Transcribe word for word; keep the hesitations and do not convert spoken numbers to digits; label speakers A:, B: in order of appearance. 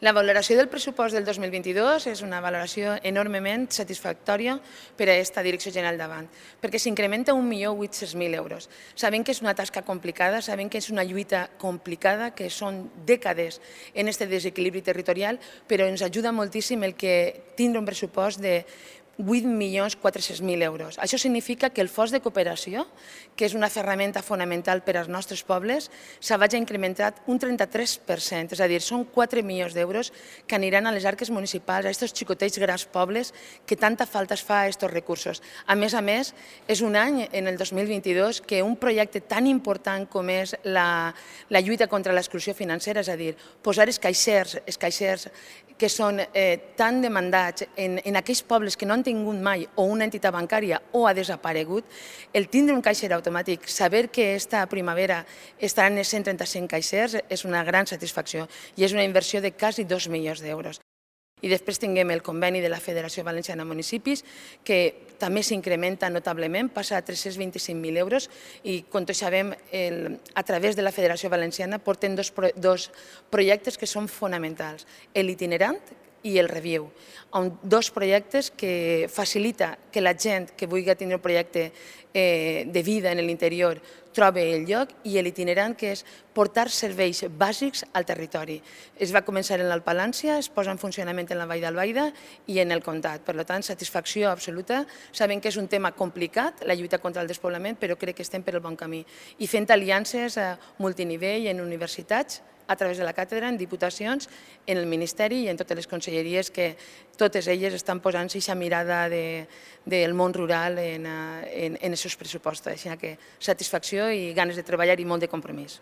A: La valoració del pressupost del dos mil vint-i-dos és una valoració enormement satisfactòria per a aquesta Direcció General d'Avant, perquè s'incrementa un milió vuit-cents mil euros. Sabem que és una tasca complicada, sabem que és una lluita complicada, que són dècades en aquest desequilibri territorial, però ens ajuda moltíssim el que tindre un pressupost de vuit milions quatre-cents mil euros. Això significa que el fons de cooperació, que és una ferramenta fonamental per als nostres pobles, s'ha vagi incrementat un trenta-tres per cent, és a dir, són quatre milions d'euros que aniran a les arques municipals, a aquests xicotets grans pobles que tanta falta es fa a aquests recursos. A més a més, és un any, en el dos mil vint-i-dos, que un projecte tan important com és la, la lluita contra l'exclusió financera, és a dir, posar els caixers, els caixers que són eh, tan demandats en, en aquells pobles que no han tingut mai o una entitat bancària o ha desaparegut, el tindre un caixer automàtic, saber que esta primavera estaran els cent trenta-cinc caixers és una gran satisfacció i és una inversió de quasi dos milions d'euros. I després tinguem el conveni de la Federació Valenciana de Municipis, que també s'incrementa notablement, passa a tres-cents vint-i-cinc mil euros i, com tots sabem, el, a través de la Federació Valenciana porten dos, dos projectes que són fonamentals, l'itinerant i el Reviu, dos projectes que facilita que la gent que vulgui tindre un projecte eh, de vida en l'interior trobi el lloc, i l'itinerant, que és portar serveis bàsics al territori. Es va començar en l'Alpalància, es posa en funcionament en la Vall d'Albaida i en el Comtat. Per tant, satisfacció absoluta. Sabem que és un tema complicat, la lluita contra el despoblament, però crec que estem per el bon camí. I fent aliances a multinivell en universitats, a través de la càtedra, en diputacions, en el Ministeri i en totes les conselleries, que totes elles estan posant aquesta mirada de, del món rural en, en, en els seus pressupostos. Així que satisfacció i ganes de treballar i molt de compromís.